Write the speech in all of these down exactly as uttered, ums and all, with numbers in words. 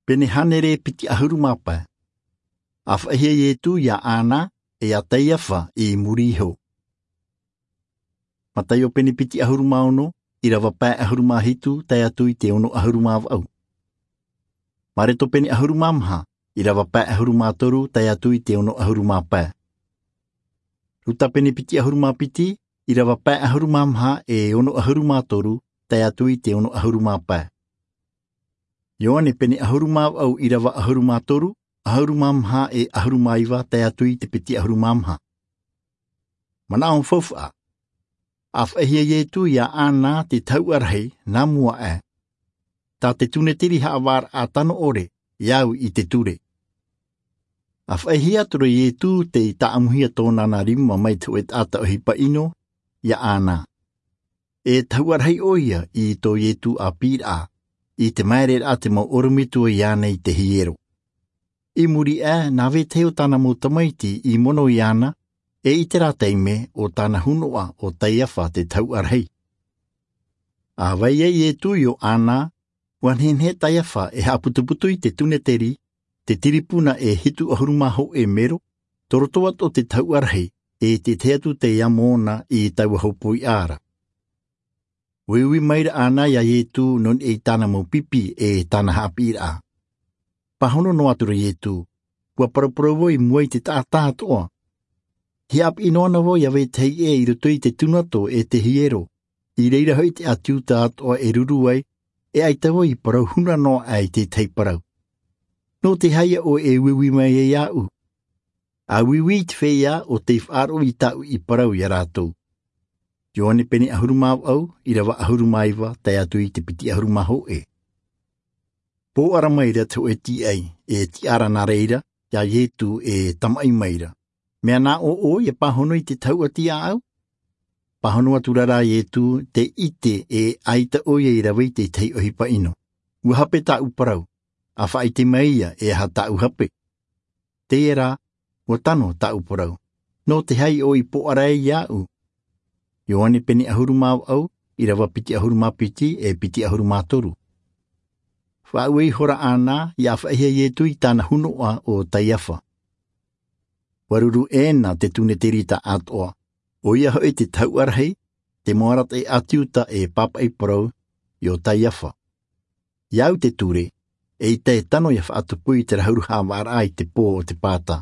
Pene hānere piti ʻahuru mā pae. A faʻaʻite iesu iā ana e iā kaiafa i muri iho. Mataio pene piti ʻahuru mā ono, ʻirava pae ʻahuru mā hitu tae atu i te ono ʻahuru mā vaʻu. Mareko pene ʻahuru mā maha, ʻirava pae ʻahuru mā toru tae atu i te ono ʻahuru mā pae. Luka pene piti ʻahuru mā piti, ʻirava pae ʻahuru mā maha e ono ʻahuru mā toru tae atu i te ono ʻahuru mā pae. Ioane pene ʻahuru mā vaʻu, ʻirava ʻahuru mā toru, ʻahuru mā maha e ʻahuru mā iva tae atu i te piti ʻahuru mā maha. Manaʻo faufaʻa. A faʻaʻite iesu iā ana te tahuʻa rahi nā mua aʻe, tā te tūneteri haʻavāraʻa tano ʻore i au i te ture. A faʻaʻite atu ra iesu tei taʻamuhia tōna rima mai te hōʻē taʻata ʻohipa ʻino iā ana. E tahuʻa rahi ʻoia i tō iesu ʻāpīraʻa i te māereraʻa te mau ʻorometua iāna i te hiero. I muri aʻe nā vetahi o tāna mau tamaiti i mono iāna, e i terā taime o tāna hunoʻa o kaiafa te tahuʻa rahi. A vai ai iesu iō ana, ua nehenehe kaiafa e haʻaputuputu i te tūneteri, te tiripuna e hitu ʻahuru mā hōʻē mero, tō roto atu o te tahuʻa rahi e te tahi atu tei amo na i taua hōpoiʻa ra. Uiui maira ana iā iesu nō niʻa i tāna mau pipi e tāna haʻapiʻiraʻa. Pāhono noa atu ra iesu, ua paraparau vau i mua i te taʻata atoʻa. Hiaʻapiʻi noa na vau iā vetahi ʻē i roto i te tunato e te hiero, i reira hoʻi te ʻāti iuda atoʻa e ruru ai, e ʻaita vau i parau huna noa aʻe i te tahi parau. Nō te aha ʻoe e uiui mai ai iāʻu? A uiui i te feiā o tei faʻaroʻo i tāʻu i parau iā rātou. Ioane pene ʻahuru mā vaʻu, ʻirava ʻahuru mā iva tae atu i te piti ʻahuru mā hōʻē. Pōʻara maira te hōʻē tīaʻi e tiʻa ra nā reira iā iesu e tamaʻi maira. Mea nā ʻō ʻoe ia pāhono i te tahuʻa tiʻaʻau? Pāhono atu ra rā iesu, tē ʻite e ʻaita ʻoia i rave i te tahi ʻohipa ʻino. Ua hape tāʻu parau. A faʻaʻite mai ia e aha tāʻu hape. Teie rā, ua tano tāʻu parau. Nō te aha ʻoe i pōʻara ai iāʻu? Ioane pene ʻahuru mā vaʻu, ʻirava piti ʻahuru mā piti e piti ʻahuru mā toru. Faʻaue ihora ana ia faʻaʻite iesu i tāna hunoʻa o kaiafa. Ua ruru ʻē na te tūneteri taʻatoʻa, ʻoia hoʻi te tahuʻa rahi, te mau arataʻi ʻāti iuda e pāpaʻi parau iō kaiafa. I au te ture, eʻita e tano ia faʻatupu i te rahuraʻa haʻavāraʻa i te pō o te pāta.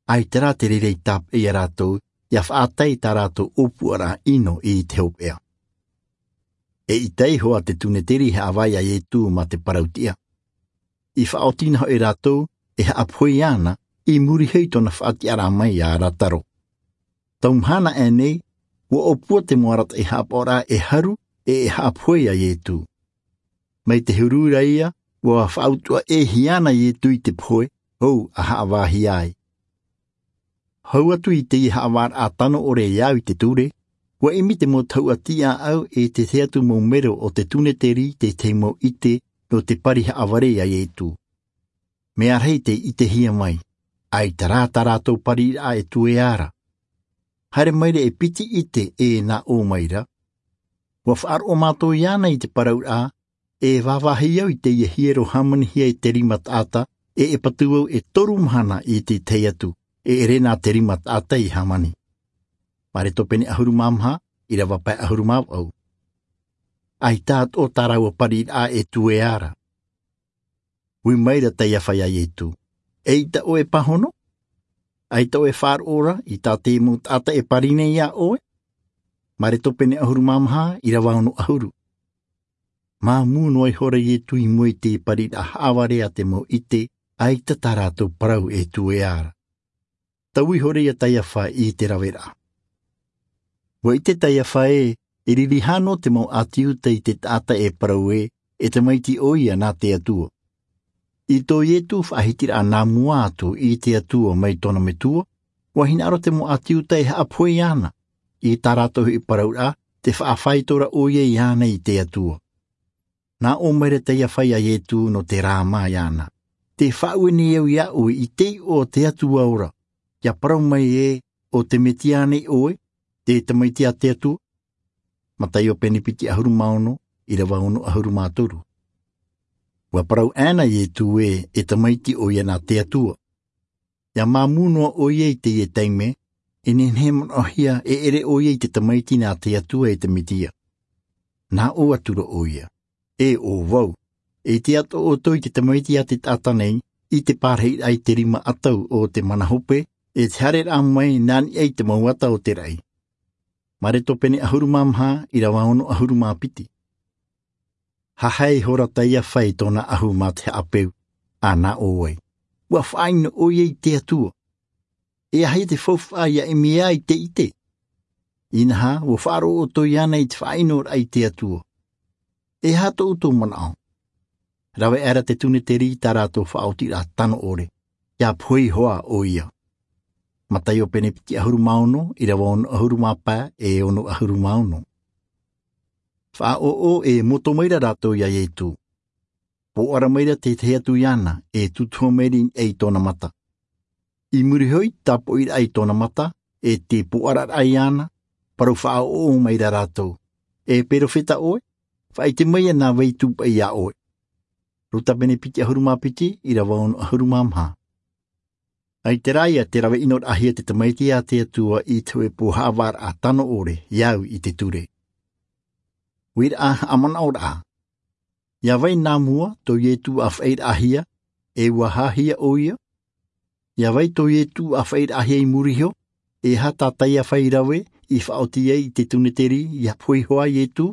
ʻAita rā te reira i tāpeʻa iā rātou ia faʻatae i tā rātou ʻōpuaraʻa ʻino i te hopeʻa. Eʻita iho ā te tūneteri haʻavā iā iesu mā te parau tiʻa. I faʻaoti na hoʻi rātou e haʻapohe iāna i muri iho i tōna faʻatiʻaraʻa mai iā lasaro. Tau mahana aʻe nei, ua ʻōpua te mau arataʻi haʻapaʻoraʻa e haru e e haʻapohe iā iesu. Mai te huru ra ia, ua faʻautuʻa ʻē hia na iesu i te pohe hou a haʻavāhia ai. Hau atu i teie haʻavāraʻa tano ʻore i au i te ture, ua ʻimi te mau tahuʻa tiʻaʻau e te tahi atu mau mero o te tūneteri te tahi mau ʻite nō te pari haʻavare iā iesu. Mea rahi tei ʻitehia mai, ʻaita rā tā rātou pariraʻa e tuea ra. Haere maira e piti ʻite e nā ʻō maira. Ua faʻaroʻo mātou iāna i te parauraʻa, e vāvāhi au i teie hiero hāmanihia e te rima taʻata, e e patu au e toru mahana i te tahi atu e ʻere nā te rima taʻata i hāmani. Mareko pene ʻahuru mā maha, ʻirava pae ʻahuru mā vaʻu. ʻAita atoʻa tā rāua pariraʻa e tuea ra. Ui maira kaiafa iā iesu, eʻita ʻoe e pāhono? ʻAita ʻoe e faʻaroʻo ra i tā te mau taʻata e pari nei iā ʻoe? Mareko pene ʻahuru mā maha, ʻirava ono ʻahuru. Māmū noa ihora iesu i mua i te pariraʻa haʻavare a te mau ʻite, ʻaita tā rātou parau e tuea ra. Tau ihora ia kaiafa i te raveraʻa. Ua ʻite kaiafa ē, e riri hano te mau ʻāti iuda i te taʻata e parau ē, e tamaiti ʻoia nā te atua. I tō iesu faʻahitiraʻa nā mua atu i te atua mai tōna metua, ua hinaʻaro te mau ʻāti iuda e haʻapohe iāna i tā rātou hoʻi parauraʻa, te faʻafaito ra ʻoia iāna i te atua. Nā ʻō maira kaiafa iā iesu nō te rāmā iāna, te faʻaue nei au iā ʻoe i te iʻoa o te atua ora, ia parau mai ē, o te mesia nei ʻoe, te tamaiti a te atua? Mataio pene piti ʻahuru mā ono, ʻirava ono ʻahuru mā toru. Ua parau ʻana iesu ē, e tamaiti ʻoia nā te atua. Ia māmū noa ʻoia i teie taime, e nehenehe manaʻohia e ʻere ʻoia i te tamaiti nā te atua e te mesia. Nā ʻō atura ʻoia, e ʻo vau, e ʻite atoʻa ʻoutou i te tamaiti a te taʻata nei, i te pārahiraʻa i te rima ʻatau o te mana hope, e te haereraʻa mai nā niʻa i te mau ata o te raʻi. Mareko pene ʻahuru mā maha, ʻirava ono ʻahuru mā piti. Haʻahae ihora taʻata ia fai tōna ʻahu mā te haʻapeu, a nā ʻō ai, ua faʻaʻino ʻoia i te atua. E aha ia te faufaʻa ia ʻimi ai te ʻite? Inaha, ua faʻaroʻo ʻoutou iāna i te faʻaʻinoraʻa i te atua. E aha tō ʻoutou manaʻo? Rave aʻera te tūneteri i tā rātou faʻaotiraʻa tano ʻore, ia pohe iho ā ʻoia. Mataio pene piti ʻahuru mā ono, ʻirava ono ʻahuru mā pae, e ono ʻahuru mā ono. Faʻaʻoʻo e moto mai ra rātou ia iesu. Pōʻara mai ra te tahi atu iāna, e tutuha mai ra i tōna mata. I muri iho i te tāpoʻiraʻa i tōna mata, e te pōʻararaʻa iāna, parau faʻaʻoʻo mai ra rātou, e perofeta ʻoe? Faʻaʻite mai ia nā vai tūpaʻi iā ʻoe. Luka pene piti ʻahuru mā piti, ʻirava ono ʻahuru mā maha. ʻAita rā ia te rave ʻinoraʻahia te tamaiti a te atua i te hōʻē pū haʻavāraʻa tano ʻore, ia au i te ture. Uiraʻa haʻamanaʻoraʻa. Ia vai nā mua tō iesu a faʻaʻitehia, e ua hāhia ʻoia? Ia vai tō iesu a faʻaʻitehia i muri iho, e aha tā taʻata ia fai rave i faʻaoti ai i te tūneteri ia pohe iho ā iesu?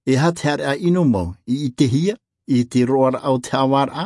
E aha te haereraʻa ʻino mau i ʻitehia i te roaraʻa o te haʻavāraʻa?